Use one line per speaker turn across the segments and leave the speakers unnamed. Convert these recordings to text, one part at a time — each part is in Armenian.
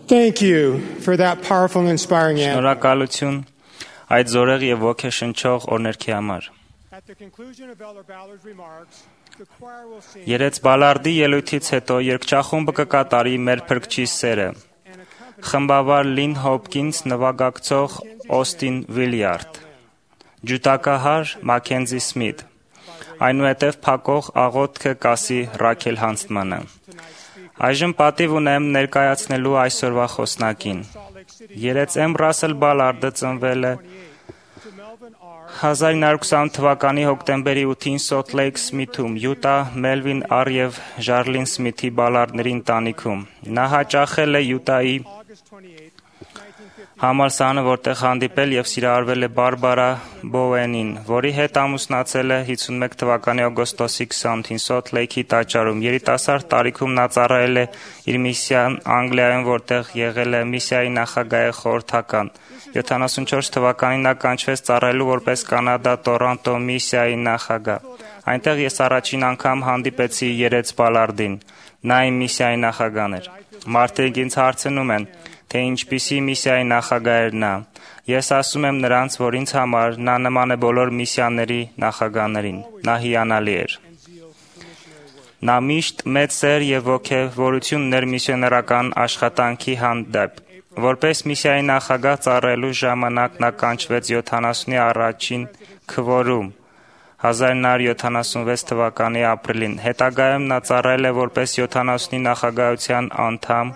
Thank you for that powerful and inspiring answer.
Շնորհակալություն այդ զորեղ եւ ոգեշնչող օրներքի համար։
At the conclusion of Elder Ballard's remarks, the choir will sing
Երեց Բալարդի ելույթից հետո երգչախումբը կկատարի մեր փրկչի սերը։ Խմբավար Լին Հոփկինս նվագակցող Օստին Վիլյարդ, ջութակահար Մաքենզի Սմիթ, այնուհետև փակող աղոթքը կասի Ռաքել Հանստմանը։ Այժմ պատիվ ունեմ ներկայացնելու այսօրվա խոսնակին։ Երեց M. Ռասել Բալարդը ծնվել է 1920 թվականի հոկտեմբերի 8-ին Սոլթ Լեյք Սմիթում, Յուտա, Մելվին R. և Ժարլին Սմիթի Բալարդների ընտանիքում։ Նա հաճախել է Յուտայի համալսարանը, որտեղ հանդիպել և սիրահարվել է Բարբարա Բոուենին, որի հետ ամուսնացել է 51 թվականի օգոստոսի 28-ին Սոլթ Լեյքի տաճարում։ Երիտասարդ տարիքում նա ծառայել է իր միսիան Անգլիայում, որտեղ եղել է միսիայի նախագահի խորհրդական։ 74 թվականին նա կանչվեց ծառայելու որպես Կանադա Տորոնտո միսիայի նախագահ։ Այնտեղ ես առաջին անգամ հանդիպեցի Երեց Բալարդին։ Նա իմ միսիայի նախագահն էր։ Մարդիկ ինձ հարցնում են, թե ինչպիսի միսիայի նախագահ էր նա։ Ես ասում եմ նրանց, որ ինձ համար նա նման է բոլոր միսիաների նախագահներին։ Նա հիանալի էր։ Նա միշտ մեծ սեր և ոգևորություն ուներ միսիոներական աշխատանքի հանդեպ։ Որպես միսիայի նախագահ ծառայելու ժամանակ նա կանչվեց 70-ի առաջին քվորում 1976 թվականի ապրիլին։ Հետագայում նա ծառայել է որպես 70-ի նախագահության անդամ։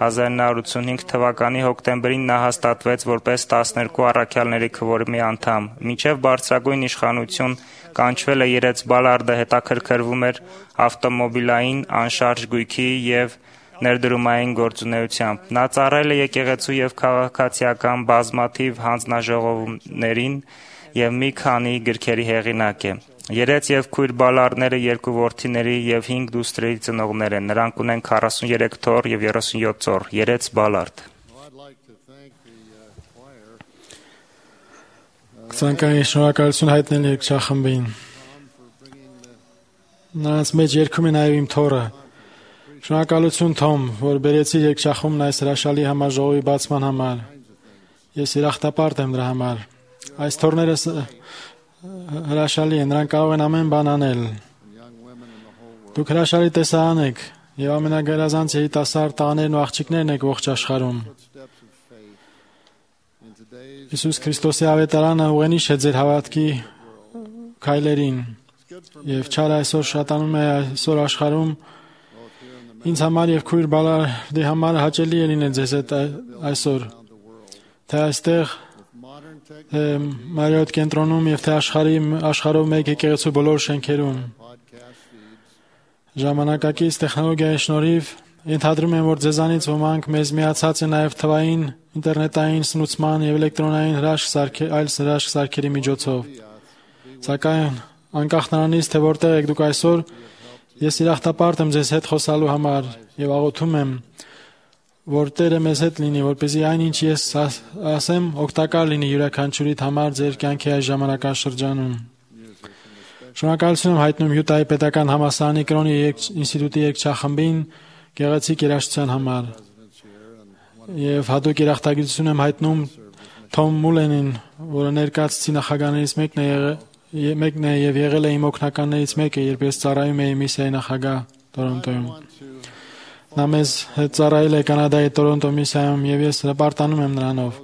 1985 թվականի հոկտեմբերին նա հաստատվեց որպես 12 առաքյալների քվորումի անդամ։ Մինչև բարձրագույն իշխանություն կանչվել է Երեց Բալարդը հետաքրքրվում էր ավտոմոբիլային, անշարժ գույքի և ներդրումային գործունեությամբ։ Նա ծառայել է եկեղեցու և քաղաքացիական բազմաթիվ հանձնաժողովներին և մի քանի գրքերի հեղինակ է։ Երեց և քույր Բալարդները 2 որդիների և 5 դուստրերի ծնողներ են։ Նրանք ունեն 43 թոռ և 37 ծոռ։ Երեց Բալարդ։
Ցանկային շնորհակալություն հայտնել երգչախմբին։ Նրանց մեջ երգում է նաև իմ թոռը։ Շնորհակալություն Թոմ, որ բերեցի երգչախումբն այս հրաշալի համաժողովի բացման համար։ Ես երախտապարտ եմ դրա համար։ Այս թոռները հրաշալի են, նրանք կարող են ամեն բան անել։ Դուք հրաշալի տեսարան եք և ամենագերազանց երիտասարդ տղաներն ու աղջիկներն եք ողջ աշխարհում։ Հիսուս Քրիստոսի ավետարանը ուղենիշ է ձեր հավատքի քայլերին և չար այսօր շատանում է այսօր աշխարհում։ Ինձ համար և քույր Բալարդի համար հաճելի է լինել ձեզ հետ այսօր, թե այստեղ Մարիոթ կենտրոնում և թե աշխարհով մեկ եկեղեցու բոլոր շենքերում։ Ժամանակակից տեխնոլոգիայի շնորհիվ ենթադրում եմ, որ ձեզանից ոմանք մեզ միացած են նաև թվային, ինտերնետային սնուցման և էլեկտրոնային այլ հրաշք սարքերի միջոցով։ Սակայն անկախ նրանից, թե որտեղ եք դուք այսօր, ես երախտապարտ եմ ձեզ հետ խոսալու համար և աղոթում եմ, որ Տերը մեզ հետ լինի, որպեսզի այն, ինչ ես ասեմ, օգտակար լինի յուրաքանչյուրիդ համար ձեր կյանքի այս ժամանակաշրջանում։ Շնորհակալություն եմ հայտնում Յուտայի պետական համալսարանի կրոնի ինստիտուտի երգչախմբին գեղեցիկ երաժշտության համար։ Եվ հատուկ երախտագիտություն եմ հայտնում Թոմ Մուլենին, որը ներկայացուցիչ նախագահներից մեկն է և եղել է իմ օգնականներից մեկը, երբ ես ծառայում էի միսիայի նախագահ Տորոնտոյում։ Նա մեզ հետ ծառայել է Կանադայի Տորոնտո միսիայում և ես հպարտանում եմ նրանով։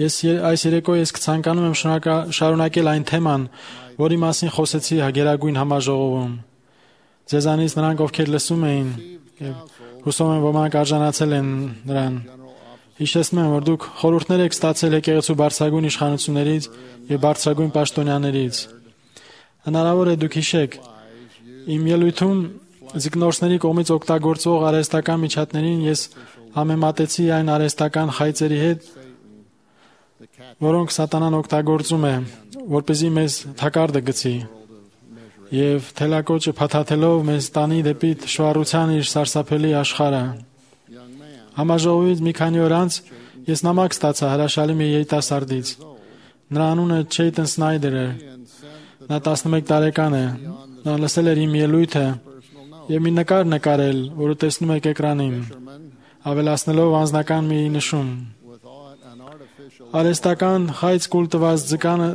Այս երեկո ես կցանկանում եմ շարունակել այն թեման, որի մասին խոսեցի Գերագույն համաժողովում։ Ձեզանից նրանք, ովքեր լսում էին, և հուսով եմ ոմանք արժանացել են նրան։ Հիշեցնում եմ, որ դուք խորհուրդներ եք ստացել եկեղեցու բարձրագույն իշխանություններից և բարձրագույն պաշտոնյաներից։ Հնարավոր է դուք հիշեք, իմ ելույթում ձկնորսների կողմից օգտագործվող արհեստական միջատներին ես համեմատեցի այն արհեստական խայծերի հետ, որոնք սատանան օգտագործում է, որպեսզի մեզ թակարդը գցի և թելակոճը փաթաթելով մեզ տանի դեպի թշվառության իր սարսափելի աշխարհը։ Համաժողովից մի քանի օր անց ես նամակ ստացա հրաշալի մի երիտասարդից։ Նրա անունը Չեյտն Սնայդեր է։ Նա 11 տարեկան է։ Նա լսել էր իմ ելույթը և մի նկար նկարել, որը տեսնում եք էկրանին։ ավելացնելով անձնական մի նշում։ Արհեստական խայծ կուլ տված ձկանը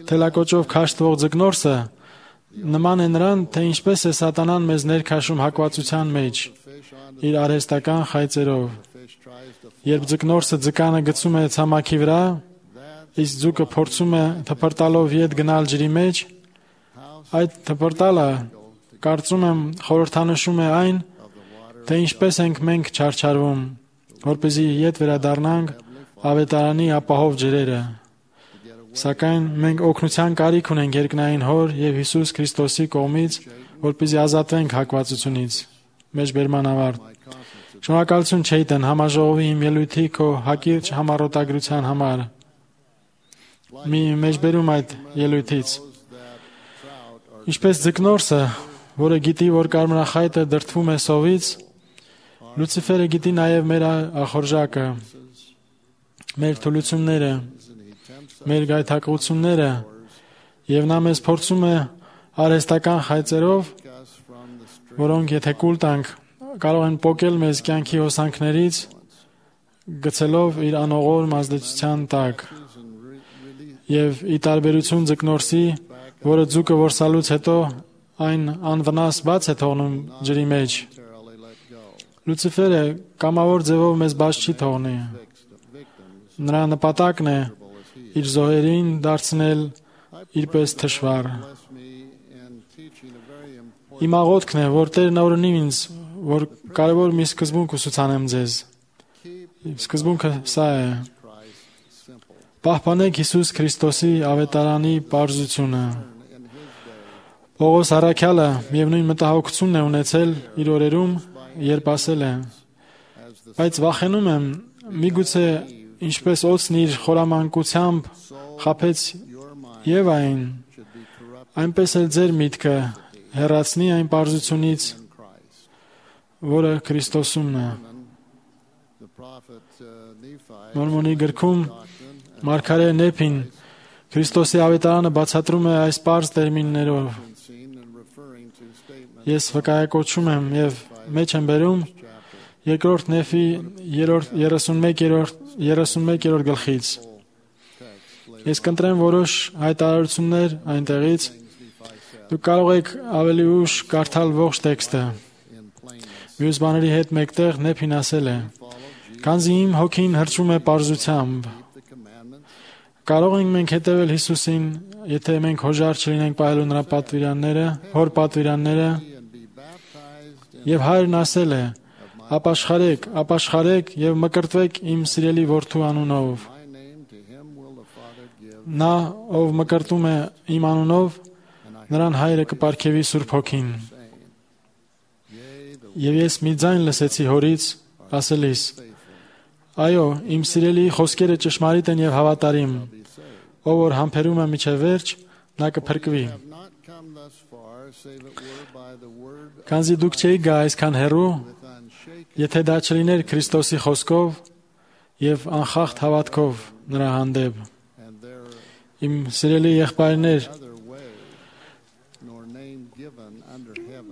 թելակոճով քաշտվող ձկնորսը նման է նրան, թե ինչպես է սատանան մեզ ներքաշում հակվածության մեջ իր արհեստական խայծերով։ Երբ ձկնորսը ձկանը գցում է ցամաքի վրա, իսկ ձուկը փորձում է թփրտալով ետ գնալ ջրի մեջ, այդ թփրտալը կարծում եմ խորհրդանշում է այն, թե ինչպես ենք մենք չարչարվում, որպեսզի ետ վերադառնանք ավետարանի ապահով ջրերը։ Սակայն մենք օգնության կարիք ունենք երկնային Հոր եւ Հիսուս Քրիստոսի կողմից, որպեսզի ազատվենք հակվածությունից։ Մեջբերման ավարտ։ Շնորհակալություն Չեյտեն համաժողովի իմ ելույթի քո հակիրճ համառոտագրության համար։ Մի մեջբերում այդ ելույթից։ Ինչպես ձկնորսը, որը գիտի, որ կարմրախայտը դրդվում է սովից, Լուցիֆերը գիտի նաև մեր ախորժակը, մեր թուլությունները, մեր գայթակղությունները, եւ նա մեզ փորձում է արհեստական խայծերով, որոնք եթե կուլ տանք, կարող են պոկել մեզ կյանքի հոսանքներից, գցելով իր անողորմ ազդեցության տակ։ Եվ ի տարբերություն ձկնորսի, որը ձուկը որսալուց հետո այն անվնաս բաց է թողնում ջրի մեջ, Լուցիֆերը կամավոր ձևով մեզ բաց չի թողնի։ Նրա նպատակն է իր զոհերին դարձնել իրպես թշվառ։ Իմ աղոթքն է, որ Տերն օրհնի ինձ, որ կարևոր մի սկզբունք ուսուցանեմ ձեզ։ Սկզբունքը սա է. պահպանեք Հիսուս Քրիստոսի ավետարանի պարզությունը։ Պողոս առաքյալը միևնույն մտահոգությունն է ունեցել իր օրերում, երբ ասել է. բայց վախենում եմ, միգուցե ինչպես օձն իր խորամանկությամբ խաբեց Եվային, այնպես էլ ձեր միտքը հեռացնի այն պարզությունից, որը Քրիստոսումն է։ Մորմոնի գրքում Մարգարե Նեփին Քրիստոսի ավետարանը բացատրում է այս պարզ տերմիններով։ Ես վկայակոչում եմ եւ մեջ եմ բերում երկրորդ Նեփի 31-րդ գլխից։ Ես կընտրեմ որոշ հայտարարություններ այնտեղից։ Դուք կարող եք ավելի ուշ կարդալ ողջ տեքստը։ Մյուս բաների հետ մեկտեղ Նեփին ասել է. «Քանզի իմ հոգին հրճում է պարզությամբ»։ Կարող ենք մենք հետևել Հիսուսին, եթե մենք հոժար չլինենք պահելու նրա պատվիրանները, հոր պատվիրանները։ Եվ Հայրն ասել է. «Ապաշխարեք եւ մկրտվեք իմ սիրելի որդու անունով»։ Նա, ով մկրտում է իմ անունով, նրան Հայրը կպարգևի Սուրբ Հոգին։ Եվ ես մի ձայն լսեցի Հորից, ասելիս. «Այո, իմ սիրելի խոսքերը ճշմարիտ են եւ հավատարիմ, ով որ համբերում է միջև վերջ, նա կփրկվի»։ Քանզի դուք չէիք գա այսքան հեռու, եթե դա չլիներ Քրիստոսի խոսքով եւ անխախտ հավատքով նրա հանդեպ։ Իմ սիրելի եղբայրներ,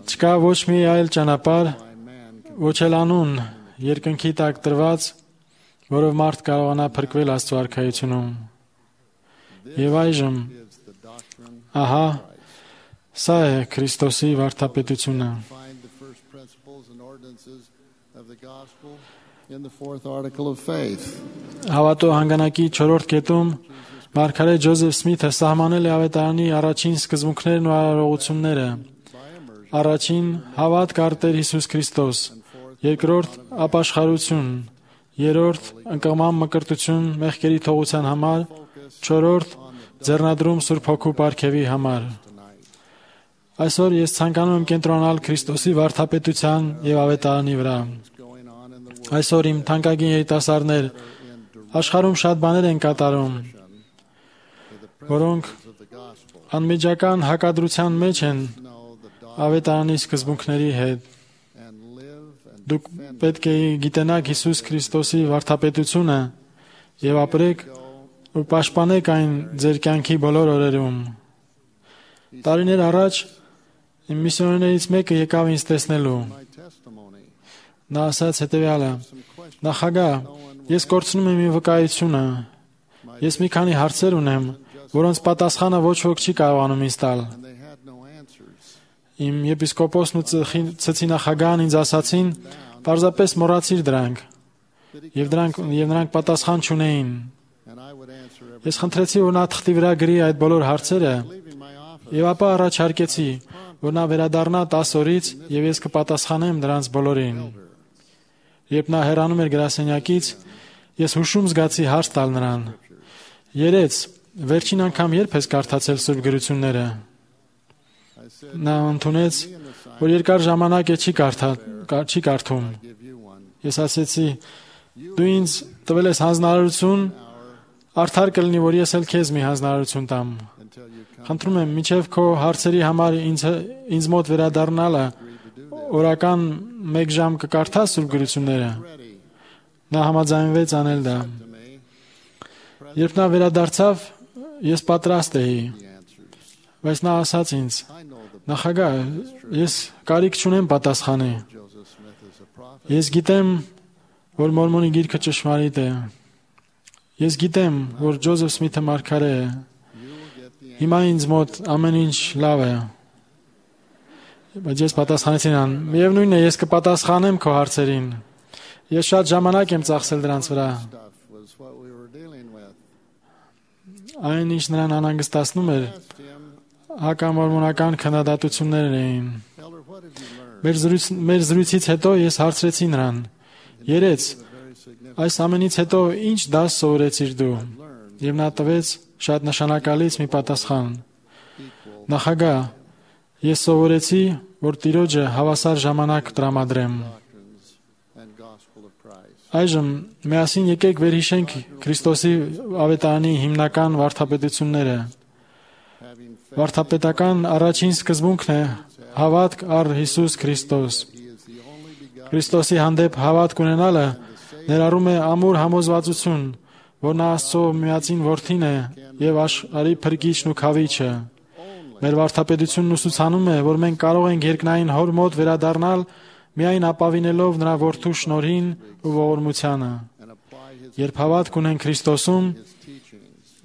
չկա ոչ մի այլ ճանապարհ, ոչ էլ անուն երկնքի տակ տրված, որով մարդ կարողանա փրկվել Աստծո արքայությունում։ Եվ այժմ, ահա, սա է Քրիստոսի վարդապետությունը։ Հավատո հանգանակի 4-րդ կետում Մարգարե Ջոզեֆ Սմիթը սահմանել է ավետարանի առաջին սկզբունքներն ու արարողությունները։ Առաջին հավատք առ Տեր Հիսուս Քրիստոս, երկրորդ ապաշխարություն, երրորդ ընկղման մկրտություն մեղքերի թողության համար, չորրորդ ձեռնադրում Սուրբ Հոգու պարգևի համար։ Այսօր ես ցանկանում եմ կենտրոնալ Քրիստոսի վարդապետության եւ ավետարանի վրա։ Այսօր իմ թանկագին երիտասարդներ, աշխարհում շատ բաներ են կատարում, որոնք անմիջական հակադրության մեջ են ավետարանի սկզբունքների հետ։ Դուք պետք է գիտենաք Հիսուս Քրիստոսի վարդապետությունը եւ ապրեք ու պաշտպանեք այն ձեր կյանքի բոլոր օրերում։ Տարիներ առաջ իմ միսիոներներից մեկը եկավ ինձ տեսնելու։ Նա ասաց հետևյալը. նախագահ, ես կորցնում եմ իմ վկայությունը։ Ես մի քանի հարցեր ունեմ, որոնց պատասխանը ոչ ոք չի կարողանում ինձ տալ։ Իմ եպիսկոպոսն ու ծխի նախագահն ինձ ասացին, պարզապես մոռացիր դրանք։ Եվ նրանք պատասխան չունեին։ Ես խնդրեցի, որ նա թղթի վրա գրի այդ բոլոր հարցերը, եւ ապա առաջարկեցի, որ նա վերադառնա 10 օրից եւ ես կպատասխանեմ դրանց բոլորին։ Երբ նա հեռանում էր գրասենյակից, ես հուշում զգացի հարց տալ նրան. Երեց, վերջին անգամ երբ ես կարդացել Սուրբ գրությունները։ Նա ընդունեց, որ երկար ժամանակ է չի կարդում։ Ես ասեցի. դու ինձ տվել ես հանձնարարություն, արդար կլինի, որ ես էլ քեզ մի հանձնարարություն տամ։ Խնդրում եմ, մինչև քո հարցերի համար ինձ մոտ վերադառնալը օրական 1 ժամ կկարդաս Սուրբ գրությունները։ Նա համաձայնվեց անել դա։ Երբ նա վերադարձավ, ես պատրաստ էի, բայց նա ասաց ինձ. նախագահ, ես կարիք չունեմ պատասխանի։ Ես գիտեմ, որ Մորմոնի գիրքը ճշմարիտ է։ Ես գիտեմ, որ Ջոզեֆ Սմիթը մարգարե է։ Հիմա ինձ մոտ ամեն ինչ լավ է։ Բայց ես պատասխանեցի նրան. միևնույնն է, ես կպատասխանեմ քո հարցերին։ Ես շատ ժամանակ եմ ծախսել դրանց վրա։ Այն ինչ նրան անհանգստացնում էր, հակամորմոնական քննադատություններ էին։ Մեր զրույցից հետո ես հարցրեցի նրան. երեց, այս ամենից հետո ինչ դաս սովորեցիր դու։ Եվ նա տվեց շատ նշանակալից մի պատասխան. նախագահ, ես սովորեցի, որ Տիրոջը հավասար ժամանակ տրամադրեմ։ Այժմ միասին եկեք վերհիշենք Քրիստոսի ավետարանի հիմնական վարդապետությունները։ Վարդապետական առաջին սկզբունքն է հավատք առ Հիսուս Քրիստոս։ Քրիստոսի հանդեպ հավատք ունենալը ներառում է ամուր համոզվածություն, որ նա Աստծո միածին որդին է եւ աշխարհի փրկիչն ու քավիչը։ Մեր վարդապետությունն ուսուցանում է, որ մենք կարող ենք երկնային Հոր մոտ վերադառնալ միայն ապավինելով նրա որդու շնորհին ու ողորմությանը։ Երբ հավատք ունենք Քրիստոսում,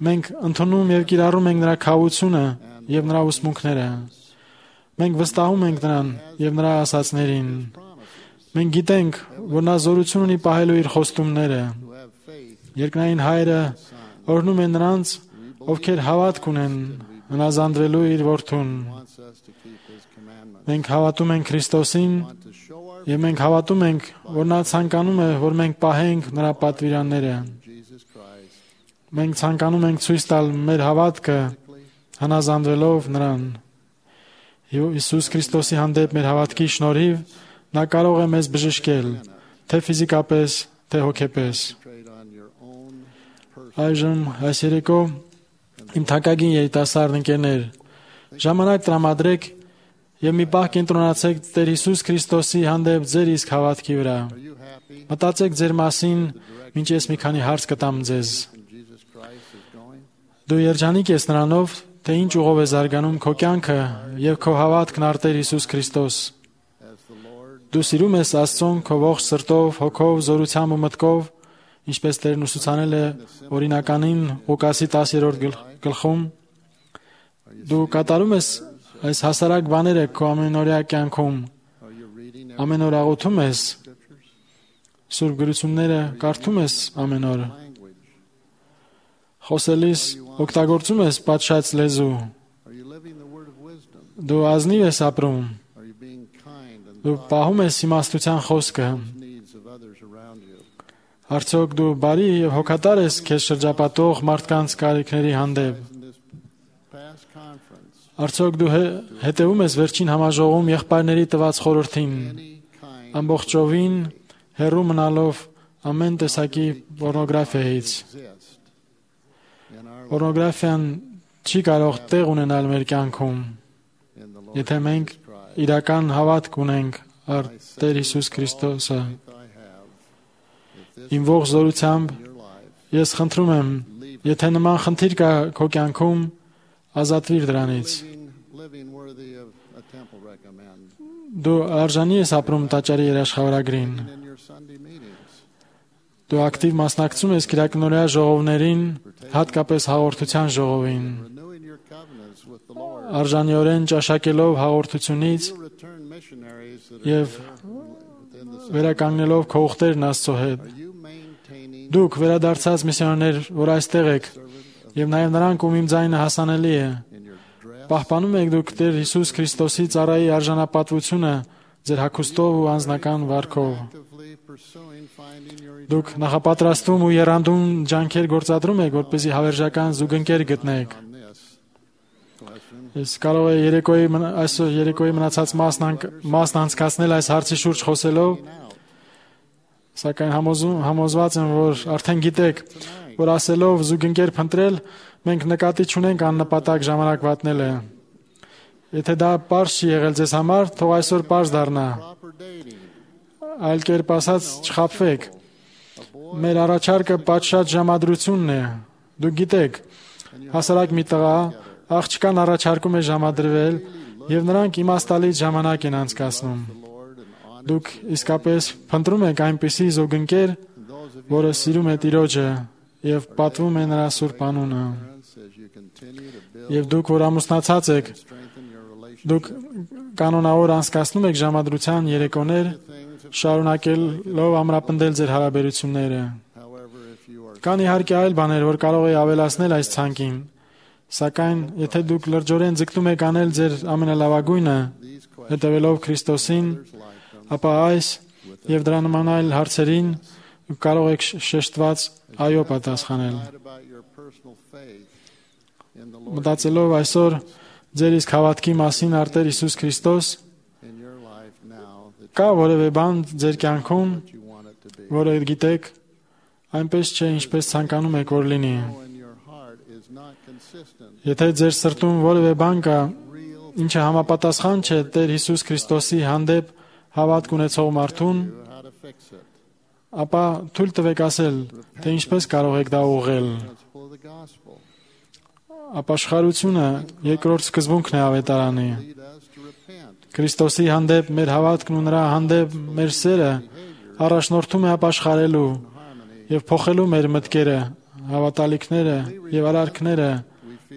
մենք ընդունում եւ կիրառում ենք նրա քավությունը եւ նրա ուսմունքները։ Մենք վստահում ենք նրան եւ նրա ասացներին։ Մենք գիտենք, որ նա զորություն ունի պահելու իր խոստումները։ Երկնային Հայրը օրհնում է նրանց, ովքեր հավատք ունեն հնազանդվելու իր որդուն։ Մենք հավատում ենք Քրիստոսին եւ մենք հավատում ենք, որ նա ցանկանում է, որ մենք պահենք նրա պատվիրանները։ Մենք ցանկանում ենք ցույց տալ մեր հավատքը հնազանդվելով նրան։ Հիսուս Քրիստոսի հանդեպ մեր հավատքի շնորհիվ նա կարող է մեզ բժշկել, թե ֆիզիկապես, թե հոգեպես։ Այժմ այս երեկո իմ թանկագին երիտասարդ ընկերներ, ժամանակ տրամադրեք եւ մի պահ կենտրոնացեք Տեր Հիսուս Քրիստոսի հանդեպ ձեր իսկ հավատքի վրա։ Մտածեք ձեր մասին, մինչ ես մի քանի հարց կտամ ձեզ։ Դու երջանիկ ես նրանով, թե ինչ ուղով է զարգանում քո կյանքը եւ քո հավատքն առ Տեր Հիսուս Քրիստոս։ Դու սիրում ես Աստծուն քո ողջ սրտով, հոգով, զորությամբ ու մտքով, ինչպես Տերն ուսուցանել է օրինականին Ղուկասի 10-րդ գլխում։ Դու կատարում ես այս հասարակ բաները քո ամենօրյա կյանքում։ Ամեն օր աղոթում ես, Սուրբ գրությունները կարդում ես ամեն օր։ Խոսելիս օգտագործում ես պատշաճ լեզու։ Դու ազնիվ ես ապրում։ Դու պահում ես իմաստության խոսքը։ Արդյոք դու բարի եւ հոգատար ես քեզ շրջապատող մարդկանց կարիքների հանդեպ։ Արդյոք դու հետևում ես վերջին համաժողովում եղբայրների տված խորհրդին, ամբողջովին հեռու մնալով ամեն տեսակի պորնոգրաֆիայից։ Պորնոգրաֆիան չի կարող տեղ ունենալ մեր կյանքում, եթե մենք իրական հավատք ունենք առ Տեր Հիսուս Քրիստոսը։ Իմ ողջ զորությամբ ես խնդրում եմ, եթե նման խնդիր կա քո կյանքում, ազատվիր դրանից։ Դու արժանի ես ապրում տաճարի երաշխավորագրին։
in your Sunday meetings.
Դու ակտիվ մասնակցում ես կիրակնօրյա ժողովներին, հատկապես հաղորդության ժողովին։
Renewing your covenants with the Lord.
Արժանիորեն ճաշակելով հաղորդությունից
You return missionaries that are
եւ
within the
վերականգնելով քո ուխտերն Աստծո հետ։
Are you maintaining
Դուք վերադարձած միսիոներներ, որ այստեղ եք, եւ նաեւ նրանք, ում իմ ձայնը հասանելի է,
in your dress?
պահպանում եք դուք Տեր Հիսուս Քրիստոսի ծառայի արժանապատվությունը ձեր հագուստով ու անձնական վարքով։
Actively pursuing finding your
Դուք նախապատրաստում ու եռանդուն ջանքեր գործադրում եք, որպեսզի հավերժական զուգընկեր գտնեք։
on this question.
Ես կարող եմ այսօր երեկոյի մնացած մասն անցկացնել այս հարցի շուրջ խոսելով, սակայն համոզված եմ, որ արդեն գիտեք, որ ասելով զուգընկեր փնտրել, մենք նկատի չունենք աննպատակ ժամանակ վատնելը։ Եթե դա պարզ չի եղել ձեզ համար, թող այսօր պարզ դառնա։
Proper dating.
Այլ կերպ ասած, չխաբվեք։ Մեր առաջարկը պատշաճ ժամադրությունն է։ Դուք գիտեք, հասարակ մի տղա աղջկան առաջարկում է ժամադրվել, եւ նրանք իմաստալից ժամանակ են անցկացնում։
Lord and honor
Դուք իսկապես փնտրում եք այնպիսի զուգընկեր,
those of
որը սիրում է Տիրոջը եւ պատվում է նրա սուրբ անունը։
parents as you continue to build
Եվ դուք, որ ամուսնացած եք,
and strengthen your relationship.
դուք կանոնավոր անցկացնում եք ժամադրության երեկոներ, շարունակելով ամրապնդել ձեր հարաբերությունները։
However, if you are
Կան իհարկե այլ բաներ, որ կարող է ավելացնել այս ցանկին, սակայն եթե դուք լրջորեն ձգտում եք անել ձեր ամենալավագույնը,
these questions
հետևելով Քրիստոսին,
like them
ապա այս եւ դրա նման այլ հարցերին դուք կարող եք շեշտված այո պատասխանել։
write about your personal faith in the Lord
Մտածելով այսօր ձեր իսկ հավատքի մասին արտեր Հիսուս Քրիստոս,
in your life now that
կա որևէ բան ձեր կյանքում,
you want it to be.
որը գիտեք, այնպես չէ, ինչպես ցանկանում եք որ լինի։
When your heart is not consistent,
Եթե ձեր սրտում որևէ բան կա,
real
ինչը համապատասխան չէ Տեր Հիսուս Քրիստոսի հանդեպ հավատք ունեցող մարդուն,
how to fix it.
ապա թույլ տվեք ասել, թե ինչպես կարող եք դա ուղղել։
Principle of the gospel.
Ապաշխարությունը երկրորդ սկզբունքն է ավետարանի։
Lead us to repent.
Քրիստոսի հանդեպ մեր հավատքն ու նրա հանդեպ մեր սերը առաջնորդում է ապաշխարելու եւ փոխելու մեր մտքերը, հավատալիքները եւ արարքները,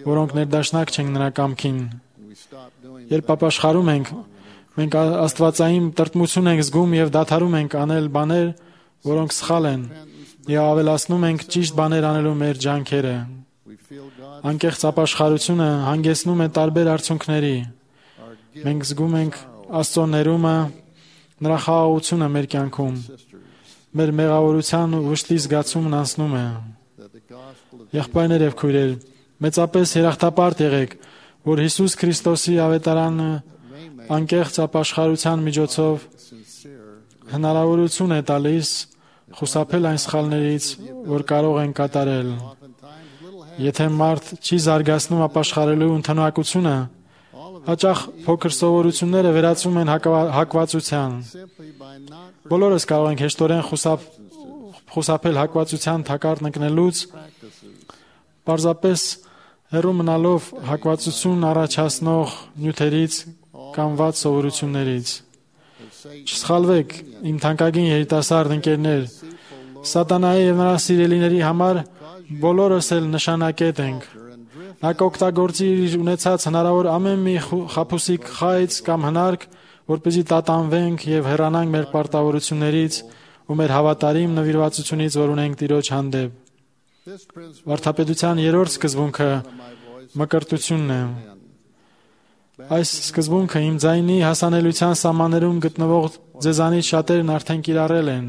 որոնք ներդաշնակ չեն նրա կամքին։
We stop doing
Երբ ապաշխարում ենք, մենք աստվածային տրտմություն ենք զգում եւ դադարում ենք անել բաներ, որոնք սխալ են, եւ ավելացնում ենք ճիշտ բաներ անելու մեր ջանքերը։
we feel God
Անկեղծ ապաշխարությունը հանգեցնում է տարբեր արդյունքների։
our guilt
Մենք զգում ենք Աստծո ներումը, նրա խաղաղությունը մեր կյանքում։
sisters
Մեր մեղավորության ու վշտի զգացումն անցնում է։
that the gospel of
Եղբայրներ եւ քույրեր, մեծապես երախտապարտ եղեք, որ Հիսուս Քրիստոսի ավետարանը
may make
անկեղծ ապաշխարության միջոցով
sincere
հնարավորություն է տալիս խուսափել այն սխալներից, որ կարող են կատարել։
oftentimes little
Եթե մարդ չի զարգացնում ապաշխարելու ընդունակությունը, հաճախ փոքր սովորությունները վերածվում են հակվածության։
simply by not
Բոլորս կարող ենք հեշտորեն խուսափել հակվածության թակարդ ընկնելուց, պարզապես հեռու մնալով հակվածություն առաջացնող նյութերից կամ վատ սովորություններից։ Չսխալվեք, իմ թանկագին երիտասարդ ընկերներ, Սատանայի եւ նրա սիրելիների համար բոլորս էլ նշանակետ ենք։ Նա կօգտագործի իր ունեցած հնարավոր ամեն մի խաբուսիկ խայծ կամ հնարք, որպեսզի տատանվենք եւ հեռանանք մեր պարտավորություններից ու մեր հավատարիմ նվիրվածությունից, որ ունենք Տիրոջ հանդեպ։
this principle
Վարդապետության երրորդ սկզբունքը մկրտությունն է։ Այս սկզբունքը իմ ձայնի հասանելիության սահմաններում գտնվող ձեզանից շատերն արդեն կիրառել են։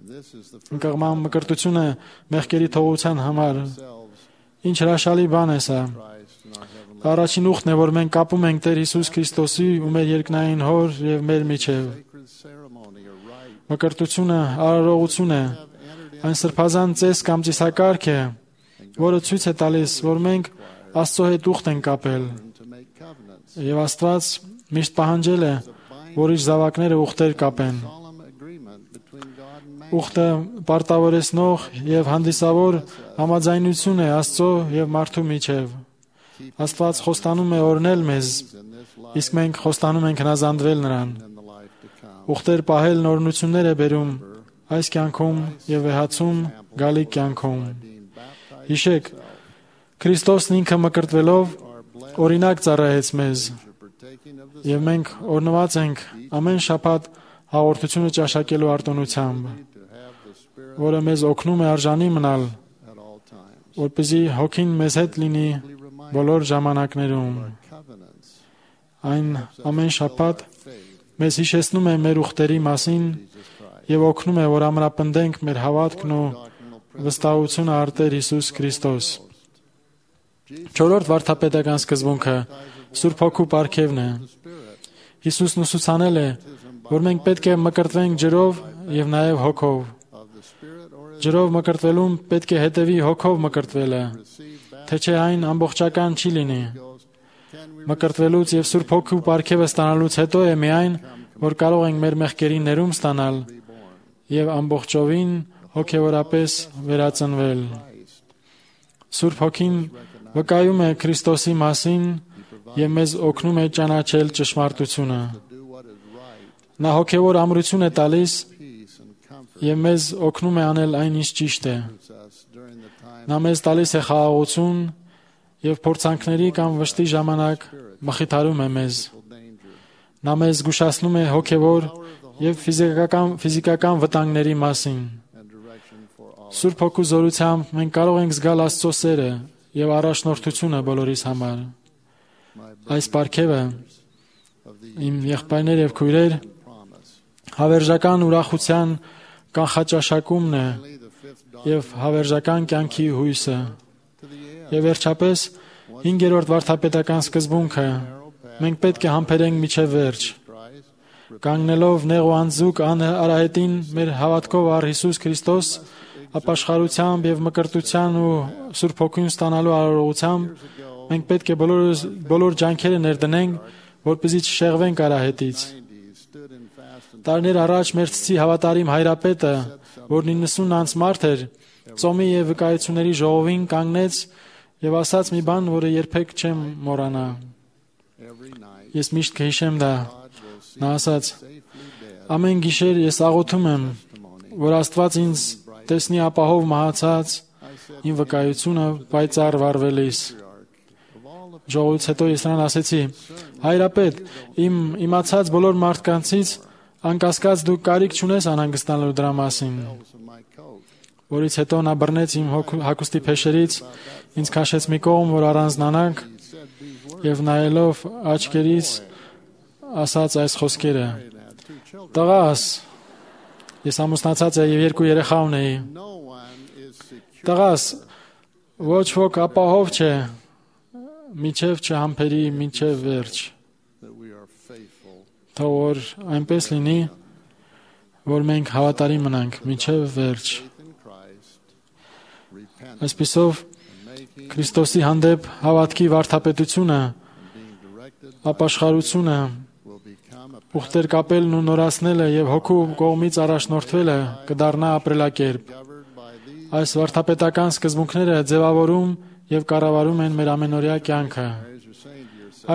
this is the
Ընկղման մկրտությունը մեղքերի թողության համար։
selves
Ինչ հրաշալի բան է սա։
Christ and our heavenly
Առաջին ուխտն է, որ մենք կապում ենք Տեր Հիսուս Քրիստոսի ու մեր երկնային Հոր եւ մեր միջև։
sacred ceremony or rite
Մկրտությունը արարողություն է։
have entered
Այն սրբազան ծես կամ ծիսակարգ է, որը ցույց է տալիս, որ մենք Աստծո հետ ուխտ ենք կապել։
in to make covenants.
Եվ Աստված միշտ պահանջել է, որ իր զավակները ուխտեր կապեն։
Solemn agreement between God and man.
Ուխտը պարտավորեցնող եւ հանդիսավոր համաձայնություն է Աստծո եւ մարդու միջև։ Աստված խոստանում է օրհնել մեզ,
In this life
իսկ մենք խոստանում ենք հնազանդվել նրան։
and the
ուխտեր պահել նորություններ է բերում այս կյանքում եւ վեհացում գալիք կյանքում։ Հիշեք, Քրիստոսն ինքը մկրտվելով օրինակ ծառայեց մեզ, եւ մենք օրնված ենք ամեն շաբաթ հաղորդությունը ճաշակելու արտոնությամբ, որը մեզ օգնում է արժանի մնալ, որպեսզի հոգին մեզ հետ լինի բոլոր ժամանակներում։ Այն ամեն շաբաթ մեզ հիշեցնում է մեր ուխտերի մասին եւ օգնում է, որ ամրապնդենք մեր հավատքն ու վստահությունը արտեր Հիսուս Քրիստոս։ Չորրորդ վարդապետական սկզբունքը Սուրբ Հոգու պարգևն է։ Հիսուսն ուսուցանել է, որ մենք պետք է մկրտվենք ջրով եւ նաեւ հոգով։ Ջրով մկրտվելուն պետք է հետևի հոգով մկրտվելը, թե չէ այն ամբողջական չի լինի։ Մկրտվելուց եւ Սուրբ Հոգու պարգևը ստանալուց հետո է միայն, որ կարող ենք մեր մեղքերի ներում ստանալ եւ ամբողջովին հոգեորապես վերածնվել։ Սուրբ Հոգին վկայում է Քրիստոսի մասին եւ մեզ օգնում է ճանաչել ճշմարտությունը։ Նա հոգեոր ամրություն է տալիս եւ մեզ օգնում է անել այն, ինչ ճիշտ է։ Նա մեզ տալիս է խաղաղություն եւ փորձանքների կամ վշտի ժամանակ մխիթարում է մեզ։ Նա մեզ զգուշացնում է հոգեոր եւ ֆիզիկական վտանգների մասին։ Սուրբ Հոգու զորությամբ մենք կարող ենք զգալ Աստծո սերը եւ առաջնորդությունը բոլորիս համար։ Այս պարգևը, իմ եղբայրներ եւ քույրեր, հավերժական ուրախության կանխաճաշակումն է եւ հավերժական կյանքի հույսը։ Եվ վերջապես 5-րդ վարդապետական սկզբունքը մենք պետք է համբերենք միջև վերջ։ Կանգնելով նեղ ու անձուկ արահետին մեր հավատքով առ Հիսուս Քրիստոս, ապաշխարությամբ եւ մկրտության ու Սուրբ Հոգուն ստանալու արարողությամբ մենք պետք է բոլոր ջանքերը ներդնենք, որպեսզի չշեղվենք արահետից։ Տարիներ առաջ մեր ցցի հավատարիմ հայրապետը, որն 90 անց մարդ էր, ծոմի եւ վկայությունների ժողովին կանգնեց եւ ասաց մի բան, որը երբեք չեմ մոռանա։ Ես միշտ կհիշեմ դա։ Նա ասաց. «Ամեն գիշեր ես աղոթում եմ, որ Աստված ինձ տեսնի ապահով մահացած, իմ վկայությունը պայծառ վառվելիս»։ Ժողովից հետո ես նրան ասեցի. «Հայրապետ, իմ իմացած բոլոր մարդկանցից անկասկած դու կարիք չունես անհանգստանալու դրա մասին»։ Որից հետո նա բռնեց իմ հագուստի փեշերից, ինձ քաշեց մի կողմ, որ առանձնանանք, եւ նայելով աչքերից ասաց այս խոսքերը. «Տղաս, ես ամուսնացած եմ եւ 2 երեխա ունեի։ Տղաս, ոչ ոք ապահով չէ, միջև չհամբերի միջև վերջ»։ Թող որ այնպես լինի, որ մենք հավատարիմ մնանք միջև վերջ։ Այսպիսով Քրիստոսի հանդեպ հավատքի վարդապետությունը, ապաշխարությունը, ուխտեր կապելն ու նորացնելը եւ հոգու կողմից առաջնորդվելը կդառնա ապրելակերպ։ Այս վարդապետական սկզբունքները ձևավորում եւ կառավարում են մեր ամենօրյա կյանքը։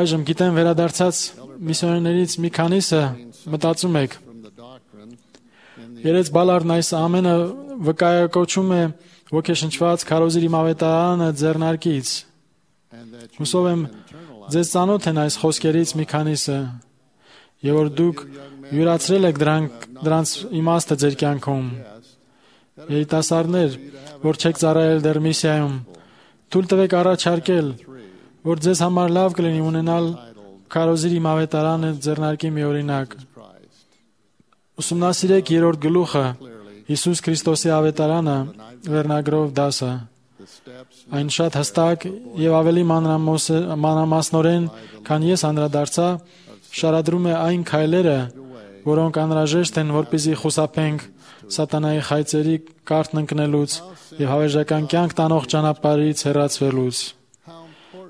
Այժմ գիտեմ վերադարձած միսիոներներից մի քանիսը մտածում եք. Երեց Բալարդն այս ամենը վկայակոչում է ոգեշնչված քարոզիր իմ ավետարանը ձեռնարկից։ Հուսով եմ ձեզ ծանոթ են այս խոսքերից մի քանիսը, եւ որ դուք յուրացրել եք դրանց իմաստը ձեր կյանքում։ Երիտասարդներ, որ չեք ծառայել դեռ միսիայում, թույլ տվեք առաջարկել, որ ձեզ համար լավ կլինի ունենալ քարոզիր իմ ավետարանը ձեռնարկի մի օրինակ։ Ուսումնասիրեք 3-րդ գլուխը Հիսուս Քրիստոսի ավետարանը վերնագրով դասը։ Այն շատ հստակ եւ ավելի մանրամասնորեն, քան ես անդրադարձա, շարադրում է այն քայլերը, որոնք անհրաժեշտ են, որպեսզի խուսափենք սատանայի խայծերի կարթն ընկնելուց եւ հավերժական կյանք տանող ճանապարհից հեռացվելուց։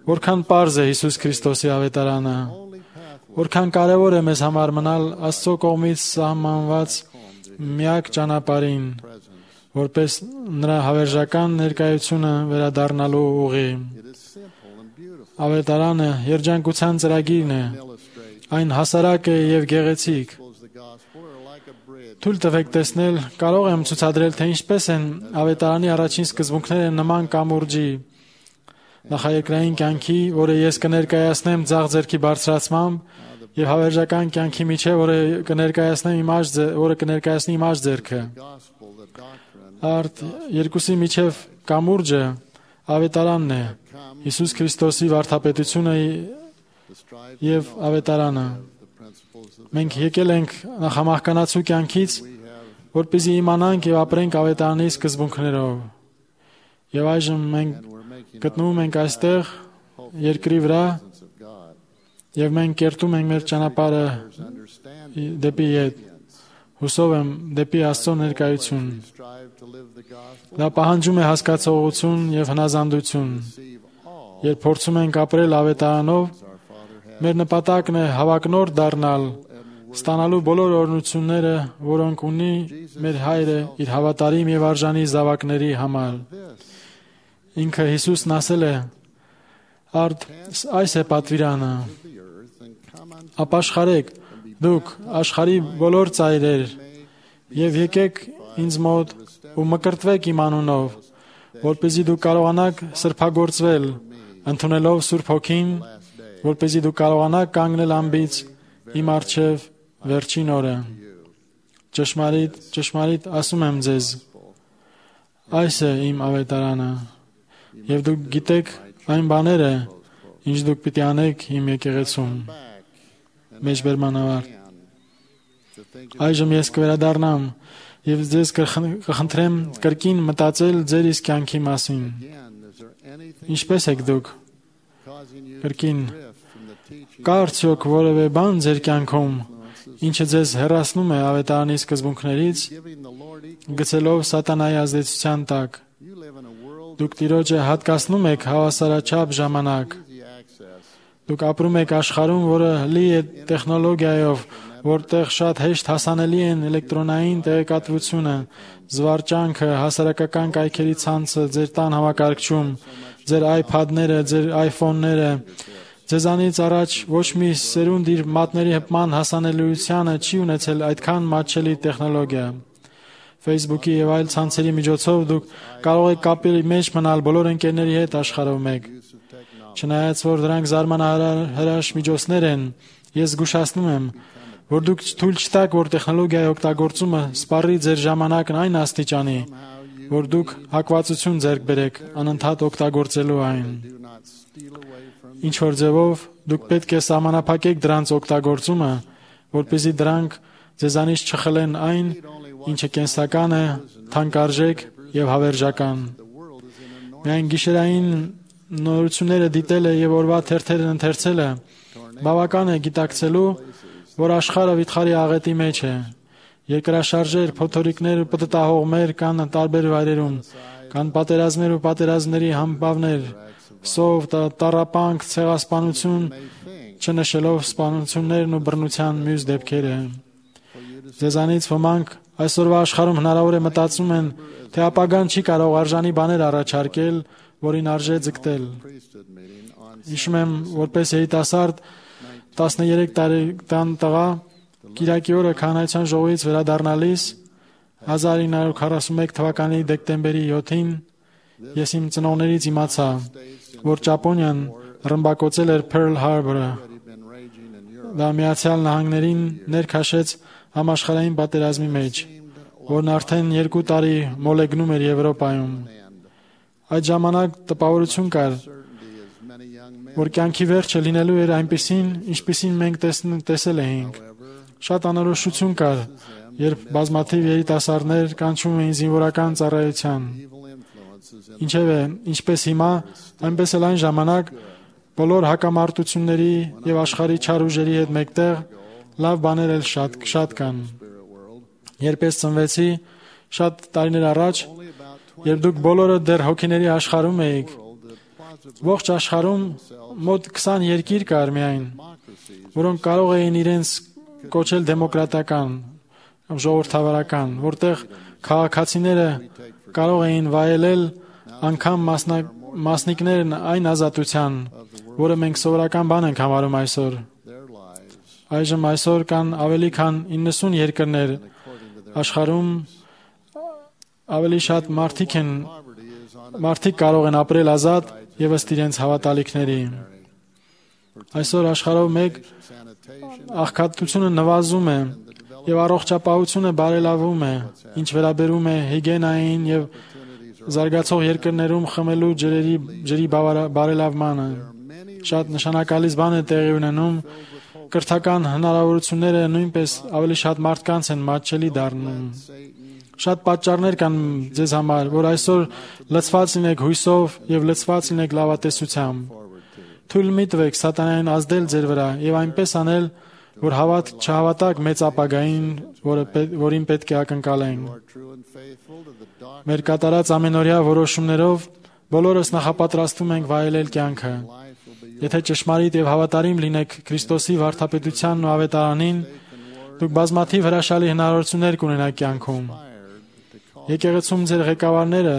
Որքան պարզ է Հիսուս Քրիստոսի ավետարանը, որքան կարևոր է մեզ համար մնալ Աստծո կողմից սահմանված միակ ճանապարհին, որպես նրա հավերժական ներկայությունը վերադառնալու ուղի։ Ավետարանը երջանկության ծրագիրն է, այն հասարակ է եւ գեղեցիկ։ Թույլ տվեք տեսնել, կարող եմ ցուցադրել, թե ինչպես են ավետարանի առաջին սկզբունքները նման կամուրջի նախաերկրային կյանքի, որը ես կներկայացնեմ ձախ ձեռքի բարձրացմամբ, եւ հավերժական կյանքի միջև, որը կներկայացնի իմ աջ ձեռքը։ Արդ երկուսի միջև կամուրջը ավետարանն է, Հիսուս Քրիստոսի վարդապետությունը եւ ավետարանը։ Մենք եկել ենք նախամահկանացու կյանքից, որպեսզի իմանանք եւ ապրենք ավետարանի սկզբունքներով։ Եվ այժմ մենք գտնվում ենք այստեղ երկրի վրա եւ մենք կերտում ենք մեր ճանապարհը դեպի ետ։ Հուսով եմ դեպի Աստծո ներկայություն։ Դա պահանջում է հասկացողություն եւ հնազանդություն։ Երբ փորձում ենք ապրել ավետարանով, մեր նպատակն է հավակնորդ դառնալ, ստանալու բոլոր օրհնությունները, որոնք ունի մեր Հայրը իր հավատարիմ եւ արժանի զավակների համար։ Ինքը Հիսուսն ասել է. «Արդ այս է պատվիրանը. ապաշխարեք դուք աշխարհի բոլոր ծայրեր եւ եկեք ինձ մոտ ու մկրտվեք իմ անունով, որպեսզի դուք կարողանաք սրբագործվել, ընդունելով Սուրբ Հոգին, որպեսզի դուք կարողանաք կանգնել անբիծ իմ առջև վերջին օրը։ Ճշմարիտ, ճշմարիտ ասում եմ ձեզ, այս է իմ ավետարանը, եւ դուք գիտեք այն բաները, ինչ դուք պիտի անեք իմ եկեղեցում»։ Մեջբերման ավարտ։ Այժմ ես կվերադառնամ եւ ձեզ կխնդրեմ կրկին մտածել ձեր իսկ կյանքի մասին։ Ինչպես եք դուք կրկին կա արդյոք որևէ բան ձեր կյանքում, ինչը ձեզ հեռացնում է ավետարանի սկզբունքներից, գցելով սատանայի ազդեցության տակ։ Դուք Տիրոջը հատկացնում եք հավասարաչափ ժամանակ։ Դուք ապրում եք աշխարհում, որը լի է տեխնոլոգիայով, որտեղ շատ հեշտ հասանելի են էլեկտրոնային տեղեկատվությունը, զվարճանքը, հասարակական կայքերի ցանցը, ձեր տան համակարգչում, ձեր iPad-ները, ձեր iPhone-ները։ Ձեզանից առաջ ոչ մի սերունդ իր մատների հպման հասանելիությանը չի ունեցել այդքան մատչելի տեխնոլոգիա։ Facebook-ի եւ այլ ցանցերի միջոցով դուք կարող եք կապի մեջ մնալ բոլոր ընկերների հետ աշխարհով մեկ։ Չնայած որ դրանք զարմանահրաշ միջոցներ են, ես զգուշացնում եմ, որ դուք թույլ չտաք, որ տեխնոլոգիայի օգտագործումը սպառի ձեր ժամանակն այն աստիճանի, որ դուք հակվածություն ձեռք բերեք անընդհատ օգտագործելու այն։ Ինչ որ ձևով դուք պետք է սահմանափակեք դրանց օգտագործումը, որպեսզի դրանք ձեզանից չխլեն այն, ինչը կենսական է, թանկարժեք եւ հավերժական։ Միայն գիշերային նորությունները դիտելը եւ օրվա թերթերն ընթերցելը բավական է գիտակցելու, որ աշխարհը վիթխարի աղետի մեջ է։ Երկրաշարժեր, փոթորիկներ ու պտտահողմեր կան տարբեր վայրերում, կան պատերազմներ ու պատերազմների համբավներ, սով, տառապանք, ցեղասպանություն, չնշելով սպանություններն ու բռնության մյուս դեպքերը։ Ձեզանից ոմանք այսօրվա աշխարհում հնարավոր է մտածում են, թե ապագան չի կարող արժանի բաներ առաջարկել, որին արժե ձգտել։ Հիշում եմ, որպես երիտասարդ 13 տարեկան տղա Կիրակի օրը քահանայության ժողովից վերադառնալիս 1941 թվականի դեկտեմբերի 7-ին ես իմ ծնողներից իմացա, որ Ճապոնիան ռմբակոծել էր Pearl Harbor-ը։ Դա Միացյալ Նահանգներին ներքաշեց համաշխարհային պատերազմի մեջ, որն արդեն 2 տարի մոլեգնում էր Եվրոպայում։ Այդ ժամանակ տպավորություն կար, որ կյանքի վերջը լինելու էր այնպիսին, ինչպիսին մենք տեսել էինք։ Շատ անորոշություն կար, երբ բազմաթիվ երիտասարդներ կանչում էին զինվորական ծառայության։ Ինչևէ, ինչպես հիմա, այնպես էլ այն ժամանակ բոլոր հակամարտությունների եւ աշխարհի չար ուժերի հետ մեկտեղ լավ բաներ էլ շատ կան։ Երբ ես ծնվեցի շատ տարիներ առաջ, երբ դուք բոլորը դեռ հոգիների աշխարհում էիք, ողջ աշխարհում մոտ 20 երկիր կար միայն, որոնք կարող էին իրենց կոչել դեմոկրատական, ժողովրդավարական, որտեղ քաղաքացիները կարող էին վայելել անգամ մասնիկներն այն ազատության, որը մենք սովորական բան ենք համարում այսօր։ Այժմ այսօր կան ավելի քան 90 երկրներ, աշխարհում ավելի շատ մարդիկ կարող են ապրել ազատ եւ ըստ իրենց հավատալիքների։ Այսօր աշխարհով մեկ աղքատությունը նվազում է եւ առողջապահությունը բարելավում է, ինչ վերաբերում է հիգիենային եւ զարգացող երկրներում խմելու ջրի բարելավմանը։ Շատ նշանակալից բան է տեղի ունենում։ Կրթական հնարավորությունները նույնպես ավելի շատ մարդկանց են մատչելի դառնում։ Շատ պատճառներ կան ձեզ համար, որ այսօր լցված լինեք հույսով եւ լցված լինեք լավատեսությամբ։ Թույլ մի տվեք սատանային ազդել ձեր վրա եւ այնպես անել, որ չհավատաք մեծ ապագային, որին պետք է ակնկալենք։ Մեր կատարած ամենօրյա որոշումներով բոլորս նախապատրաստվում ենք վայելել կյանքը։ Եթե ճշմարիտ եւ հավատարիմ լինեք Քրիստոսի վարդապետությանն ու ավետարանին, դուք բազմաթիվ հրաշալի հնարավորություններ կունենաք կյանքում։ Եկեղեցում ձեր ղեկավարները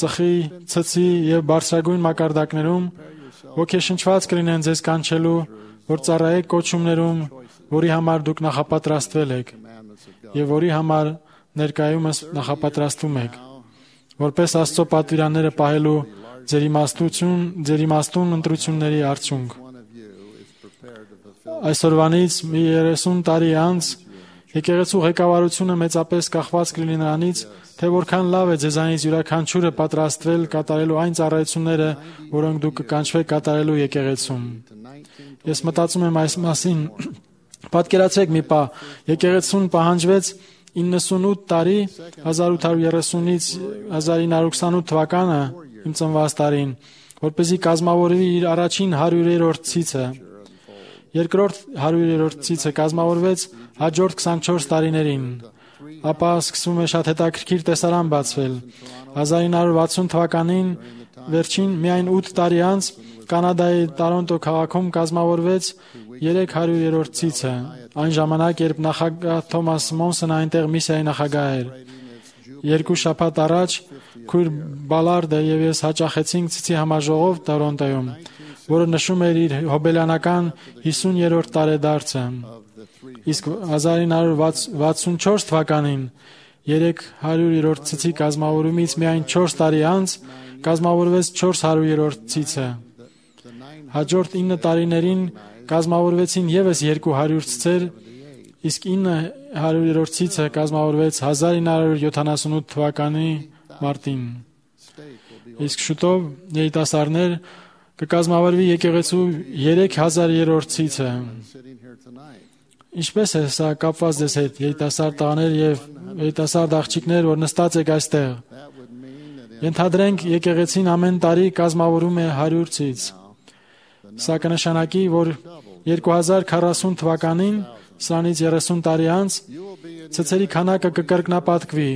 ծխի, ցցի եւ բարձրագույն մակարդակներում ոգեշնչված կլինեն ձեզ կանչելու, որ ծառայեք կոչումներում, որի համար դուք նախապատրաստվել եք եւ որի համար ներկայումս նախապատրաստվում եք, որպես Աստծո պատվիրանները պահելու ձեր իմաստուն ընտրությունների արդյունք։ Այսօրվանից մի 30 տարի անց եկեղեցու ղեկավարությունը մեծապես կախված կլինի նրանից, թե որքան լավ է ձեզանից յուրաքանչյուրը պատրաստվել կատարելու այն ծառայությունները, որոնք դուք կկանչվեք կատարելու եկեղեցում։ Ես մտածում եմ այս մասին։ Պատկերացրեք մի պահ, եկեղեցուն պահանջվեց 98 տարի 1830-ից 1928 թվականը իմ ծնված տարին, որպեսզի կազմավորվի իր առաջին 100-րդ ցիցը։ Երկրորդ 100-րդ ցիցը կազմավորվեց հաջորդ 24 տարիներին։ Ապա սկսվում է շատ հետաքրքիր տեսարան բացվել։ 1960 թվականին վերջին միայն 8 տարի անց Կանադայի Տորոնտո քաղաքում կազմավորվեց 300-րդ ցիցը։ Այն ժամանակ, երբ նախագահ Թոմաս Մոնսոնը այնտեղ միսիայի նախագահ էր։ 2 շաբաթ առաջ քույր Բալարդը եւ ես հաճախեցինք ցիցի համաժողով Տորոնտոյում, որը նշում էր իր հոբելյանական 50-րդ տարեդարձը։ Իսկ 1964 թվականին 300-րդ ցիցի կազմավորումից միայն 4 տարի անց կազմավորվեց 400-րդ ցիցը։ Հաջորդ 9 տարիներին կազմավորվեցին եւս 200 ցիցեր, իսկ 900-րդ ցիցը կազմավորվեց 1978 թվականի մարտին։ Իսկ շուտով երիտասարդներ կկազմավորվի եկեղեցու 3000-րդ ցիցը։ Ինչպես է սա կապված ձեզ հետ, երիտասարդ տղաներ եւ երիտասարդ աղջիկներ, որ նստած եք այստեղ։ Ենթադրենք եկեղեցին ամեն տարի կազմավորում է 100 ցից։ Սա կնշանակի, որ 2040 թվականին, սրանից 30 տարի անց, ցցերի քանակը կկրկնապատկվի,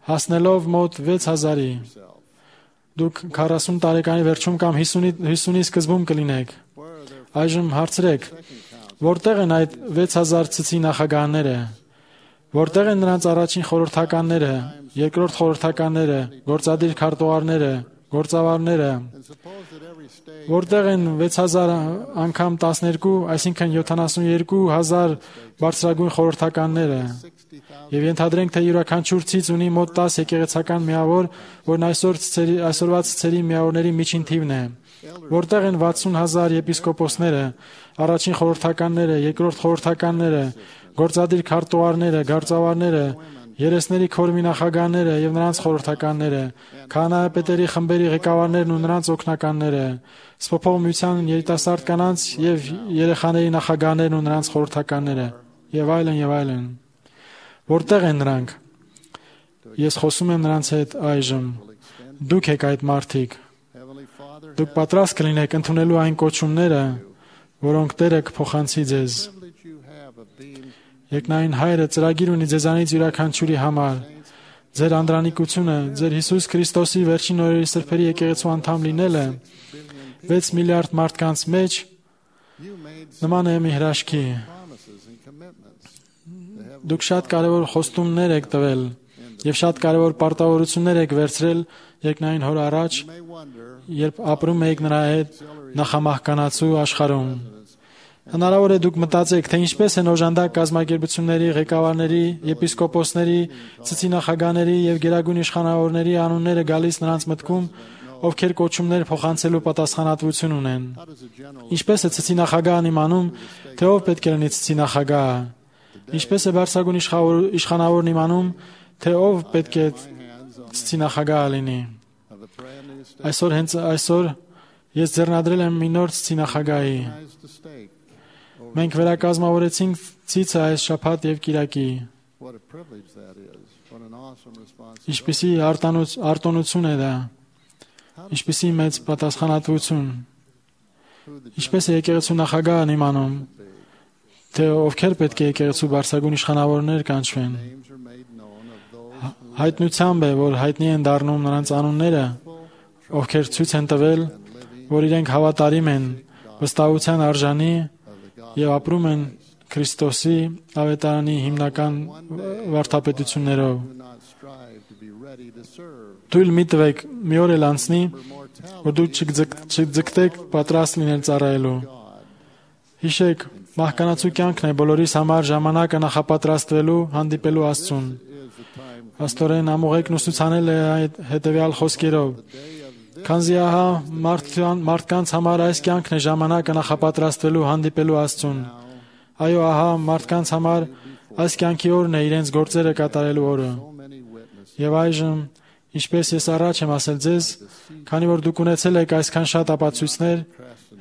հասնելով մոտ 6000-ի։ Դուք 40 տարեկանի վերջում կամ 50-ի սկզբում կլինեք։ Այժմ հարցրեք, որտեղ են այդ 6000 ցցի նախագահները, որտեղ են նրանց առաջին խորհրդականները, երկրորդ խորհրդականները, գործադիր քարտուղարները, գործավարները, որտեղ են 6000 անգամ 12, այսինքն 72000 բարձրագույն խորհրդականները։ Եվ ենթադրենք, թե յուրաքանչյուր ցից ունի մոտ 10 եկեղեցական միավոր, որն այսօրվա ցցերի միավորների միջին թիվն է։ Որտեղ են 60000 եպիսկոպոսները, առաջին խորհրդականները, երկրորդ խորհրդականները, գործադիր քարտուղարները, գործավարները, երեսների քորմի նախագահները եւ նրանց խորհրդականները, քահանայապետերի խմբերի ղեկավարներն ու նրանց օգնականները, սփոփող միության երիտասարդ կանանց եւ երեխաների նախագահներն ու նրանց խորհրդականները, եւ այլն եւ այլն։ Որտեղ են նրանք։ Ես խոսում եմ նրանց հետ այժմ։ Դուք եք այդ մարդիկ։ Դուք պատրաստ կլինեք ընդունելու այն կոչումները, որոնք Տերը կփոխանցի ձեզ։ Երկնային Հայրը ծրագիր ունի ձեզանից յուրաքանչյուրի համար։ Ձեր անդրանիկությունը, ձեր Հիսուս Քրիստոսի վերջին օրերի սրբերի եկեղեցու անդամ լինելը 6 միլիարդ մարդկանց մեջ նման է մի հրաշքի։ Դուք շատ կարևոր խոստումներ եք տվել եւ շատ կարևոր պարտավորություններ եք վերցրել Երկնային Հոր առաջ, երբ ապրում եք նրա հետ նախամահկանացու աշխարհում։ Հնարավոր է դուք մտածեք, թե ինչպես են օժանդակ կազմակերպությունների, ղեկավարների, եպիսկոպոսների, ծիծինախագահների եւ գերագույն իշխանավորների անունները գալիս նրանց մտքում, ովքեր կոչումներ փոխանցելու պատասխանատվություն ունեն։ Ինչպես է ծիծինախագահն իմանում, թե ով պետք է լինի ծիծինախագահը։ Ինչպես է բարձրագույն իշխանավորն իմանում, թե ով պետք է ծիծինախագահը լինի։ Այսօր ես ձեռնադրել եմ մի նոր ծիծինախագահի։ Մենք վերակազմավորեցինք ցիցը այս շաբաթ եւ կիրակի։ Ինչպիսի արտոնություն է դա։ Ինչպիսի մեծ պատասխանատվություն։ Ինչպես է եկեղեցու նախագահն իմանում, թե ովքեր պետք է եկեղեցու բարձրագույն իշխանավորներ կանչվեն։ Հայտնությամբ է, որ հայտնի են դառնում նրանց անունները, ովքեր ցույց են տվել, որ իրենք հավատարիմ են, վստահության արժանի եւ ապրում են Քրիստոսի ավետարանի հիմնական վարդապետություններով։ Թույլ մի տվեք մի օր էլ անցնի, որ դուք չձգտեք պատրաստ լինել ծառայելու։ Հիշեք, մահկանացու կյանքն է բոլորիս համար ժամանակը նախապատրաստվելու, հանդիպելու Աստծուն։ Աստորեն ամուղեկն ուսուցանել է այդ հետևյալ խոսքերով. Քանզի ահա մարդկանց համար այս կյանքն է ժամանակը նախապատրաստվելու, հանդիպելու Աստծուն։ Այո, ահա մարդկանց համար այս կյանքի օրն է իրենց գործերը կատարելու օրը։ Եվ այժմ, ինչպես ես առաջ եմ ասել ձեզ, քանի որ դուք ունեցել եք այսքան շատ ապացույցներ,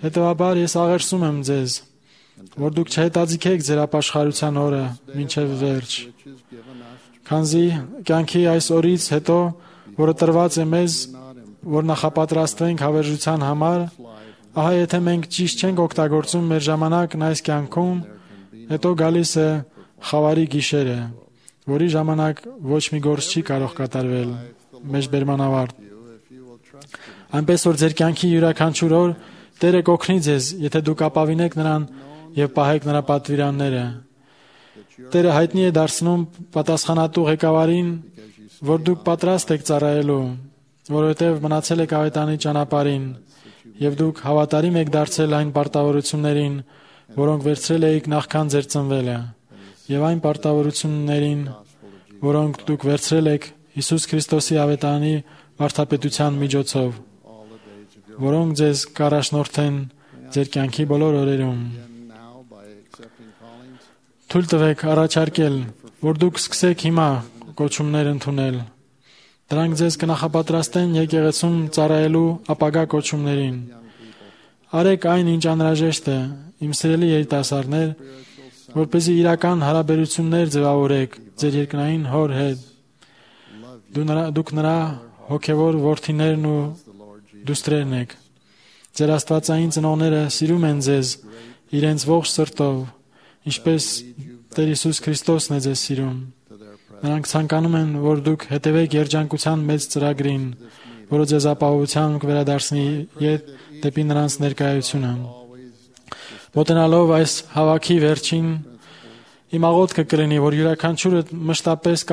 հետևաբար ես աղերսում եմ ձեզ, որ դուք չհետաձգեք ձեր ապաշխարության օրը մինչև վերջ։ Քանզի կյանքի այս օրից հետո, որը տրված է մեզ, որ նախապատրաստվենք հավերժության համար, ահա եթե մենք ճիշտ չենք օգտագործում մեր ժամանակն այս կյանքում, հետո գալիս է խավարի գիշերը, որի ժամանակ ոչ մի գործ չի կարող կատարվել, մեջբերման ավարտ։ Այնպես որ ձեր կյանքի յուրաքանչյուր օր Տերը կօգնի ձեզ, եթե դուք ապավինեք նրան եւ պահեք նրա պատվիրանները։ Տերը հայտնի է դարձնում պատասխանատու ղեկավարին, որ դուք պատրաստ եք ծառայելու, որովհետև մնացել եք ավետանի ճանապարհին եւ դուք հավատարիմ եք դարձել այն պարտավորություններին, որոնք վերցրել եք նախքան ձեր ծնվելը, եւ այն պարտավորություններին, որոնք դուք վերցրել եք Հիսուս Քրիստոսի ավետարանի վարդապետության միջոցով, որոնք ձեզ կառաջնորդեն ձեր կյանքի բոլոր օրերում։ Թույլ տվեք առաջարկել, որ դուք սկսեք հիմա կոչումներ ընդունել։ Դրանք ձեզ կնախապատրաստեն եկեղեցում ծառայելու ապագա կոչումներին։ Արեք այն, ինչ անհրաժեշտ է, իմ սիրելի երիտասարդներ, որպեսզի իրական հարաբերություններ ձևավորեք ձեր երկնային Հոր հետ։ Դուք նրա հոգևոր որդիներն ու դուստրերն եք։ Ձեր աստվածային ծնողները սիրում են ձեզ իրենց ողջ սրտով, ինչպես Տեր Հիսուս Քրիստոսն է ձեզ սիրում։ Նրանք ցանկանում են, որ դուք հետևեք երջանկության մեծ ծրագրին, որը ձեզ ապահովության կվերադարձնի դեպի նրանց ներկայությունը։ Մոտենալով այս հավաքի վերջին, իմ աղոթքը կլինի, որ յուրաքանչյուրը մշտապես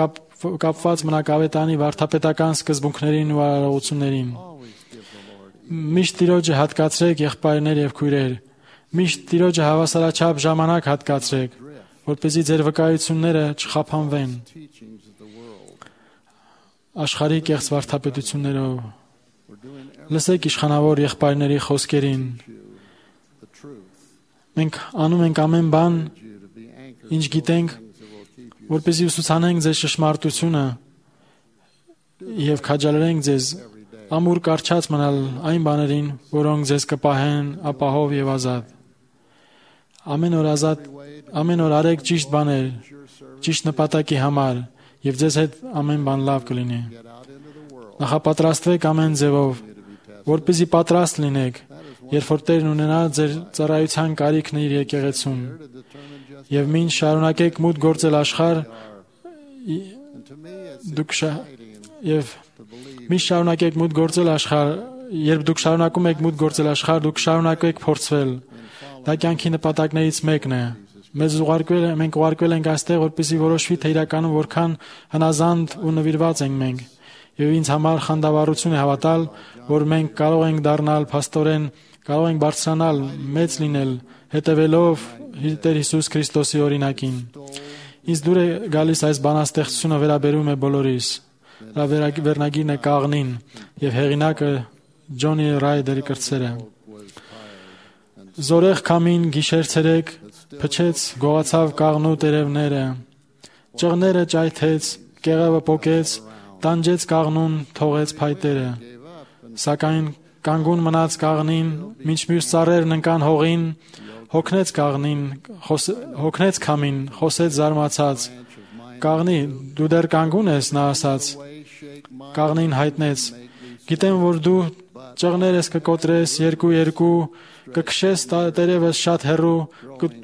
կապված մնաք ավետանի վարդապետական սկզբունքներին ու արարողություններին։ Միշտ Տիրոջը հատկացրեք եղբայրներ եւ քույրեր։ Միշտ Տիրոջը հավասարաչափ ժամանակ հատկացրեք, որպեսզի ձեր վկայությունները չխափանվեն աշխարհի կեղծ վարդապետություններով։ Լսեք իշխանավոր եղբայրների խոսքերին։ Մենք անում ենք ամեն բան, ինչ գիտենք, որպեսզի ուսուցանենք ձեզ ճշմարտությունը եւ քաջալերենք ձեզ ամուր կարճած մնալ այն բաներին, որոնք ձեզ կպահեն ապահով եւ ազատ։ Ամեն օր արեք ճիշտ բաներ, ճիշտ նպատակի համար եւ ձեզ հետ ամեն բան լավ կլինի։ Նախապատրաստվեք ամեն ձևով, որպեսզի պատրաստ լինեք, երբ որ Տերն ունենա ձեր ծառայության կարիքն իր եկեղեցում։ Եվ մինչ շարունակեք մուտք գործել աշխարհ, երբ դուք շարունակում եք մուտք գործել աշխարհ, դուք շարունակեք փորձվել։ Դա կյանքի նպատակներից մեկն է։ Մենք ուղարկվել ենք այստեղ, որպեսզի որոշվի, թե իրականում որքան հնազանդ ու նվիրված ենք մենք։ Եվ ինձ համար խանդավառություն է հավատալ, որ մենք կարող ենք դառնալ փաստորեն կարող ենք բարձրանալ, մեծ լինել, հետևելով Տեր Հիսուս Քրիստոսի օրինակին։ Ինձ դուր է գալիս այս բանաստեղծությունը վերաբերում է բոլորիս։ Դա վերնագիրն է կաղնին եւ հեղինակը Ջոնի Ռայդերի կրծերը։ Զորեղ քամին գիշեր ցերեկ փչեց, գողացավ կաղնու տերևները, ճղները ճայթեց, կեղևը պոկեց, տանջեց կաղնուն, թողեց փայտերը։ Սակայն կանգուն մնաց կաղնին, մինչ մյուս ծառերն ընկան հողին, հոգնեց կաղնին, հոգնեց քամին, խոսեց զարմացած։ Կաղնի, դու դեռ կանգուն ես, նա ասաց։ Կաղնին հայտնեց. գիտեմ, որ դու ճղներս կկոտրես երկու, կքշես տերևս շատ հեռու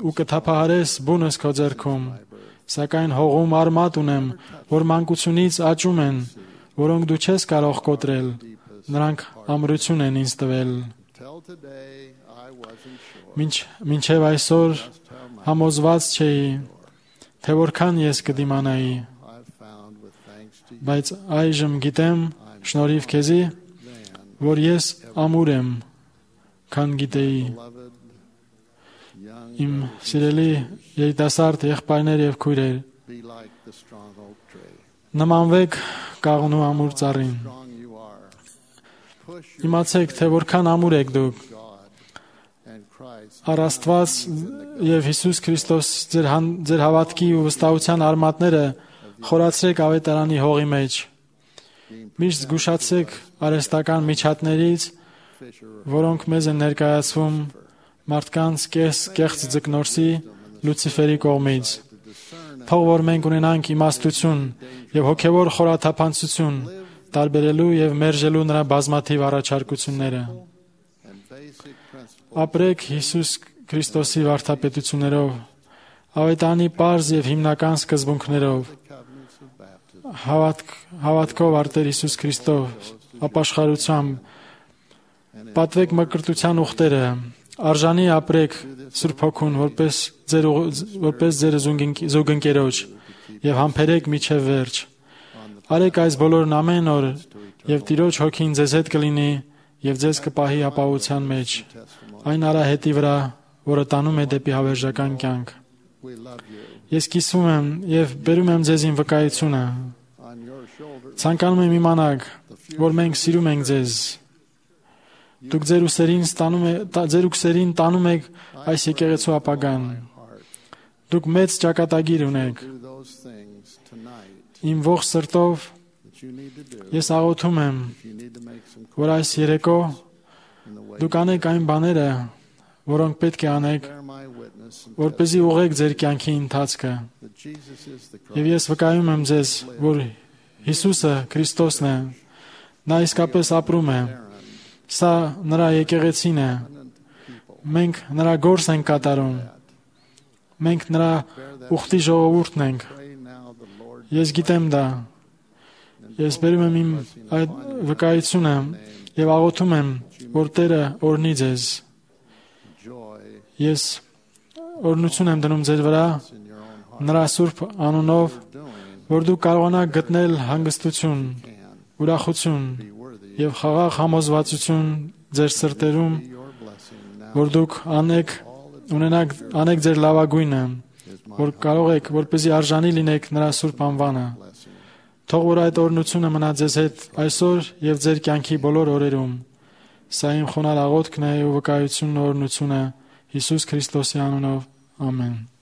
ու կթափահարես բունս քո ձեռքում։ Սակայն հողում արմատ ունեմ, որ մանկությունից աճում են, որոնք դու չես կարող կոտրել, նրանք ամրություն են ինձ տվել։ Մինչև այսօր համոզված չէի, թե որքան ես կդիմանայի, բայց այժմ գիտեմ, շնորհիվ քեզի, որ ես ամուր եմ, քան գիտեի։ Իմ սիրելի երիտասարդ եղբայրներ եւ քույրեր, նմանվեք կաղնու ամուր ծառին։ Իմացեք, թե որքան ամուր եք դուք։ Առ Աստված եւ Հիսուս Քրիստոս ձեր հավատքի ու վստահության արմատները խորացրեք ավետարանի հողի մեջ։ Միշտ զգուշացեք արհեստական միջատներից, որոնք մեզ են ներկայացվում մարդկանց կեղծ ձկնորսի Լուցիֆերի կողմից։ Թող որ մենք ունենանք իմաստություն եւ հոգեվոր խորաթափանցություն տարբերելու եւ մերժելու նրա բազմաթիվ առաջարկությունները։ Ապրեք Հիսուս Քրիստոսի վարդապետություններով, ավետարանի պարզ եւ հիմնական սկզբունքներով, հավատքով արտեր Հիսուս Քրիստով, ապաշխարությամբ, պատվեք մկրտության ուխտերը, արժանի ապրեք Սուրբ Հոգուն, որպես ձեր զուգընկերոջ եւ համբերեք միջև վերջ։ Արեք այս բոլորն ամեն օր եւ Տիրոջ Հոգին ձեզ հետ կլինի եւ ձեզ կպահի ապահովության մեջ, այն արահետի վրա, որը տանում է դեպի հավերժական կյանք։ Ես կիսվում եմ եւ բերում եմ ձեզ իմ վկայությունը։ Ցանկանում եմ իմանալ, որ մենք սիրում ենք ձեզ։ Դուք ձեր ուսերին տանում եք այս եկեղեցու ապագան։ Դուք մեծ ճակատագիր ունեք։ Իմ ողջ սրտով ես աղոթում եմ, որ այս երեկո դուք անեք այն բաները, որոնք պետք է անեք, որպեսզի ուղղեք ձեր կյանքի ընթացքը։ Եվ ես վկայում եմ ձեզ, որ Հիսուսը Քրիստոսն է, նա իսկապես ապրում է։ Սա նրա եկեղեցին է։ Մենք նրա գործ ենք կատարում։ Մենք նրա ուխտի ժողովուրդն ենք։ Ես գիտեմ դա։ Ես բերում եմ իմ այդ վկայությունը եւ աղոթում եմ, որ Տերը օրհնի ձեզ։ Ես օրհնություն եմ դնում ձեր վրա նրա սուրբ անունով, որ դուք կարողանաք գտնել հանգստություն, ուրախություն եւ խաղաղ համոզվածություն ձեր սրտերում, որ դուք անեք ձեր լավագույնը, որ կարող եք, որպեսզի արժանի լինեք նրա սուրբ անվանը։ Թող որ այդ օրհնությունը մնա ձեզ հետ այսօր եւ ձեր կյանքի բոլոր օրերում։ Սա իմ խոնարհ աղոթքն է ու վկայությունն օրհնությունը Հիսուս Քրիստոսի անունով։ Ամեն։